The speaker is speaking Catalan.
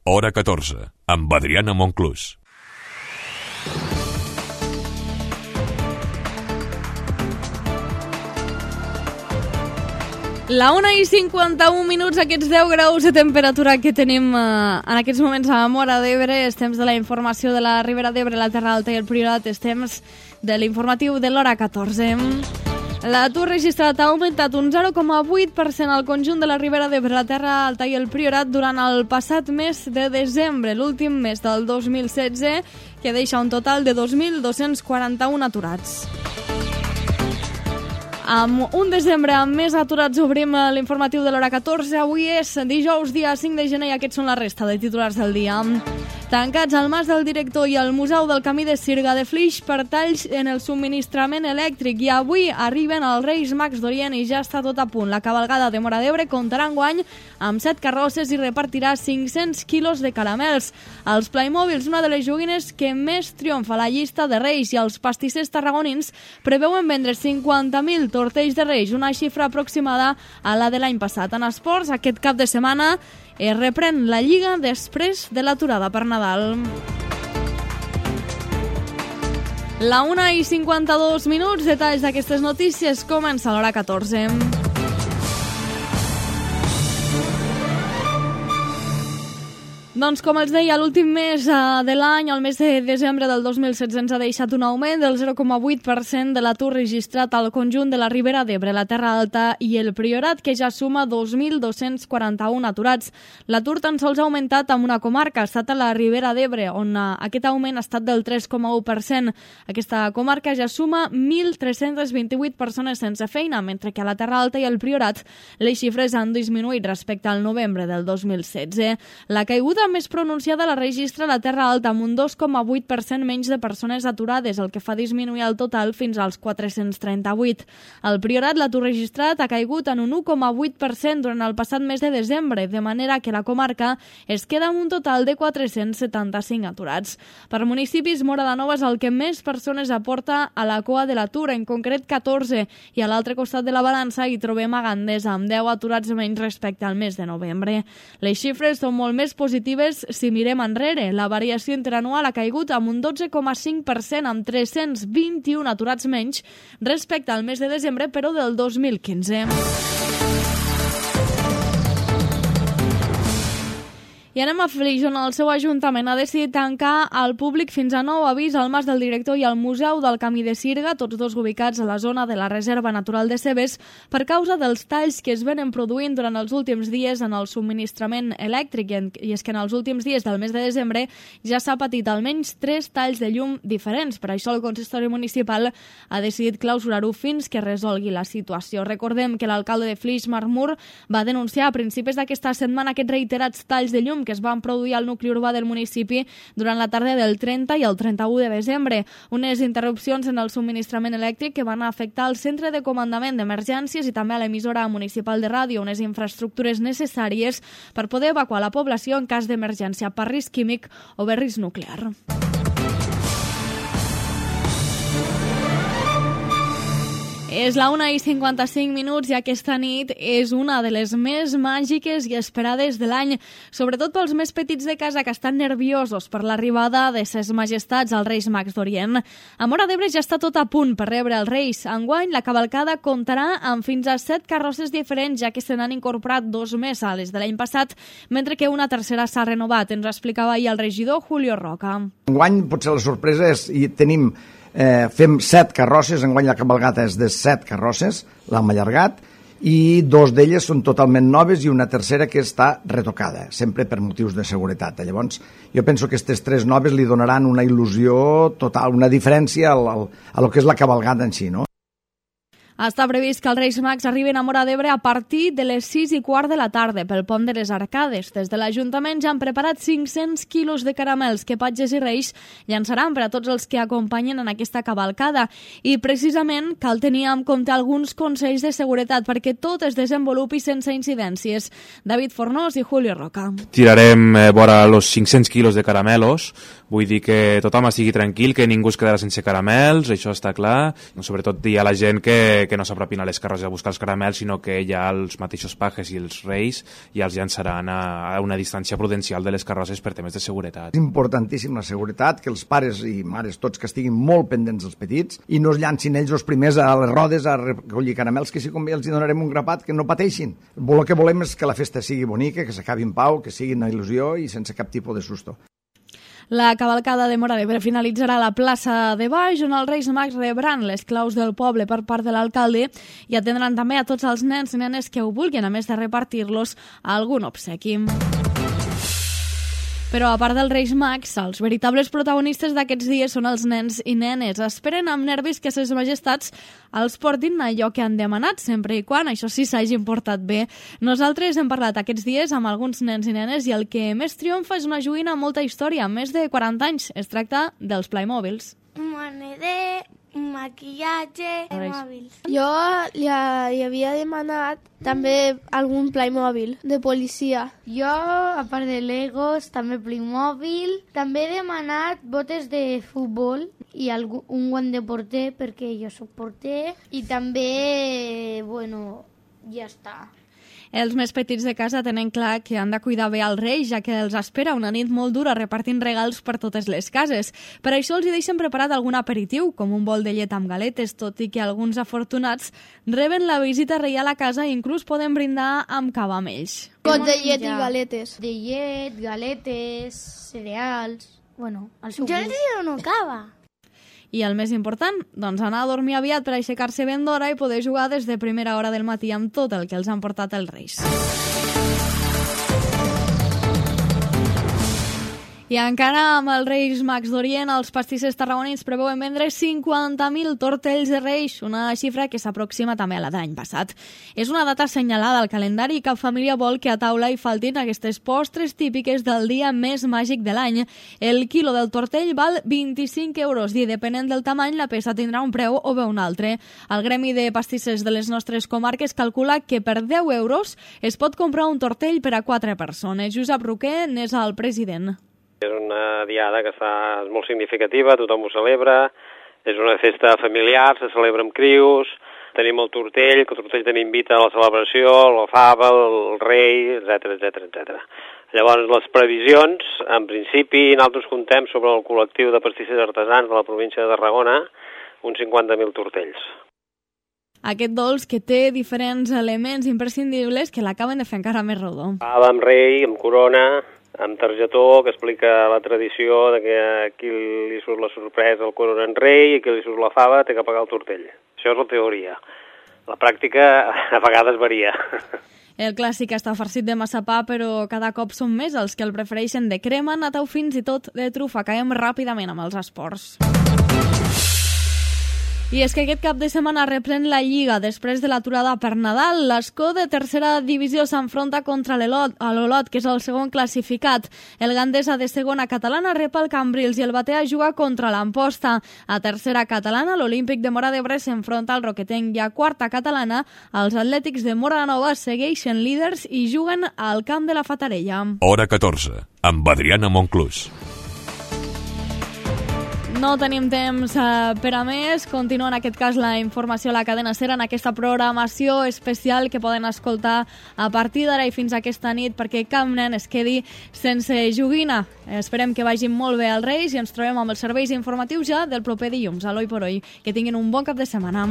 Hora 14, amb Adriana Monclús. La 1:51, aquests 10 graus de temperatura que tenim en aquests moments a Móra d'Ebre. És temps de la informació de la Ribera d'Ebre, la Terra Alta i el Priorat. És temps de l'informatiu de l'hora 14. L'atur registrat ha augmentat un 0,8% al conjunt de la Ribera d'Ebre, la Terra Alta i el Priorat durant el passat mes de desembre, l'últim mes del 2016, que deixa un total de 2.241 aturats. Amb un desembre amb més aturats obrim l'informatiu de l'hora 14. Avui és dijous, dia 5 de gener, i aquests són la resta de titulars del dia. Tancats el Mas del Director i el Museu del Camí de Sirga de Flix per talls en el subministrament elèctric, i avui arriben els Reis Mags d'Orient i ja està tot a punt. La cavalgada de Móra d'Ebre comptarà enguany amb 7 carrosses i repartirà 500 quilos de caramels. Els Playmobils, una de les joguines que més triomfa a la llista de Reis, i els pastissers tarragonins preveuen vendre 50.000 tortells de Reis, una xifra aproximada a la de l'any passat. En esports, aquest cap de setmana es reprèn la Lliga després de l'aturada per Nadal. La 1:52, detalls d'aquestes notícies, comença a l'hora 14. Doncs, com els deia, l'últim mes de l'any, el mes de desembre del 2016, ens ha deixat un augment del 0,8% de l'atur registrat al conjunt de la Ribera d'Ebre, la Terra Alta i el Priorat, que ja suma 2.241 aturats. L'atur tan sols ha augmentat en una comarca, ha estat a la Ribera d'Ebre, on aquest augment ha estat del 3,1%. Aquesta comarca ja suma 1.328 persones sense feina, mentre que a la Terra Alta i el Priorat les xifres han disminuït respecte al novembre del 2016. La caiguda més pronunciada la registra la Terra Alta, amb un 2,8% menys de persones aturades, el que fa disminuir el total fins als 438. Al Priorat, l'atur registrat ha caigut en un 1,8% durant el passat mes de desembre, de manera que la comarca es queda amb un total de 475 aturats. Per municipis, Móra de Nova és el que més persones aporta a la cua de l'atur, en concret 14, i a l'altre costat de la balança hi trobem a Gandesa, amb 10 aturats menys respecte al mes de novembre. Les xifres són molt més positives si mirem enrere. La variació interanual ha caigut amb un 12,5%, amb 321 aturats menys respecte al mes de desembre, però del 2015. I anem a Flix, on el seu ajuntament ha decidit tancar al públic fins a nou avís el Mas del Director i el Museu del Camí de Sirga, tots dos ubicats a la zona de la Reserva Natural de Cebes, per causa dels talls que es venen produint durant els últims dies en el subministrament elèctric. I és que en els últims dies del mes de desembre ja s'ha patit almenys 3 talls de llum diferents. Per això el consistori municipal ha decidit clausurar-ho fins que resolgui la situació. Recordem que l'alcalde de Flix, Marc Mur, va denunciar a principis d'aquesta setmana aquests reiterats talls de llum que es van produir al nucli urbà del municipi durant la tarda del 30 i el 31 de desembre. Unes interrupcions en el subministrament elèctric que van afectar el centre de comandament d'emergències i també a l'emissora municipal de ràdio, unes infraestructures necessàries per poder evacuar la població en cas d'emergència per risc químic o bé risc nuclear. És la 1:55 i aquesta nit és una de les més màgiques i esperades de l'any, sobretot pels més petits de casa que estan nerviosos per l'arribada de ses majestats als Reis Mags d'Orient. A Móra d'Ebre ja està tot a punt per rebre els Reis. Enguany, la cavalcada comptarà amb fins a 7 carrosses diferents, ja que se n'han incorporat 2 més a les de l'any passat, mentre que una tercera s'ha renovat. Ens ho explicava ahir el regidor Julio Roca. Enguany potser la sorpresa és fem 7 carrosses, enguany la cabalgata és de 7 carrosses, l'hem allargat, i 2 d'elles són totalment noves i una tercera que està retocada, sempre per motius de seguretat. Llavors, jo penso que aquestes 3 noves li donaran una il·lusió total, una diferència a lo que és la cabalgata en si, no? Està previst que els Reis Mags arriben a Móra d'Ebre a partir de les 6:15 de la tarda pel pont de les Arcades. Des de l'Ajuntament ja han preparat 500 quilos de caramels que patges i Reis llançaran per a tots els que acompanyen en aquesta cavalcada. I precisament cal tenir en compte alguns consells de seguretat perquè tot es desenvolupi sense incidències. David Fornós i Julio Roca. Tirarem vora los 500 quilos de caramelos, Vull dir que tothom estigui tranquil, que ningú es quedarà sense caramels, això està clar. Sobretot dir a la gent que no s'apropin a les carrosses a buscar els caramels, sinó que ja els mateixos pajes i els reis ja els llançaran a una distància prudencial de les carrosses per temes de seguretat. És importantíssim la seguretat, que els pares i mares tots que estiguin molt pendents dels petits i no es llancin ells els primers a les rodes a recollir caramels, que si com bé els donarem un grapat, que no pateixin. El que volem és que la festa sigui bonica, que s'acabi en pau, que sigui una il·lusió i sense cap tipus de susto. La cavalcada de Móra d'Ebre finalitzarà a la plaça de Baix, on els Reis Mags rebran les claus del poble per part de l'alcalde i atendran també a tots els nens i nenes que ho vulguin, a més de repartir-los a algun obsequi. Però a part dels Reis Mags, els veritables protagonistes d'aquests dies són els nens i nenes. Esperen amb nervis que ses majestats els portin allò que han demanat, sempre i quan això sí s'hagin portat bé. Nosaltres hem parlat aquests dies amb alguns nens i nenes i el que més triomfa és una joguina amb molta història, més de 40 anys. Es tracta dels Playmobils. Moneder, maquillatge, mòbils. Jo li havia demanat també algun Playmobil de policia. Jo, a part de Legos, també Playmobil. També he demanat botes de futbol i un guant de porter, perquè jo soc porter. I també, ja està. Els més petits de casa tenen clar que han de cuidar bé els Reis, ja que els espera una nit molt dura repartint regals per totes les cases. Per això els hi deixen preparat algun aperitiu, com un bol de llet amb galetes, tot i que alguns afortunats reben la visita reial a casa i inclús poden brindar amb cava amb ells. Got de llet i galetes. De llet, galetes, cereals... el seu Jo els dono cava. I el més important, doncs anar a dormir aviat per aixecar-se ben d'hora i poder jugar des de primera hora del matí amb tot el que els han portat els Reis. I encara amb els Reis Mags d'Orient, els pastissers tarragonins preveuen vendre 50.000 tortells de Reis, una xifra que s'aproxima també a la de l'any passat. És una data assenyalada al calendari i cap família vol que a taula hi faltin aquestes postres típiques del dia més màgic de l'any. El quilo del tortell val 25 euros i, depenent del tamany, la peça tindrà un preu o bé un altre. El Gremi de Pastissers de les nostres comarques calcula que per 10 euros es pot comprar un tortell per a 4 persones. Josep Roquer n'és el president. És una diada que és molt significativa, tothom ho celebra, és una festa familiar, se celebra amb crius, tenim el tortell, que el tortell també invita a la celebració, la fava, el rei, etc. Llavors, les previsions, en principi, nosaltres contem sobre el col·lectiu de pastissers artesans de la província de Tarragona, uns 50.000 tortells. Aquest dolç que té diferents elements imprescindibles que l'acaben de fer encara més rodó. Fava amb rei, amb corona, amb targetó, que explica la tradició de que a qui li surt la sorpresa el corona en rei i a qui li surt la fava té que pagar el tortell. Això és la teoria. La pràctica a vegades varia. El clàssic està farcit de massapà, però cada cop són més els que el prefereixen de crema, nata o fins i tot de trufa. Caiem ràpidament amb els esports. I és que aquest cap de setmana reprèn la Lliga després de l'aturada per Nadal. L'Escó de tercera divisió s'enfronta contra l'Olot, que és el segon classificat. El Gandesa de segona catalana rep el Cambrils i el Batea juga contra l'Amposta. A tercera catalana, l'Olímpic de Móra d'Ebre s'enfronta al Roquetenc i a quarta catalana, els Atlètics de Móra Nova segueixen líders i juguen al camp de la Fatarella. Hora 14, amb Adriana Monclús. No tenim temps per a més. Continua en aquest cas la informació a la cadena SER en aquesta programació especial que poden escoltar a partir d'ara i fins aquesta nit perquè cap nen es quedi sense joguina. Esperem que vagin molt bé els Reis i ens trobem amb els serveis informatius ja del proper dilluns. Aloi por hoy. Que tinguin un bon cap de setmana.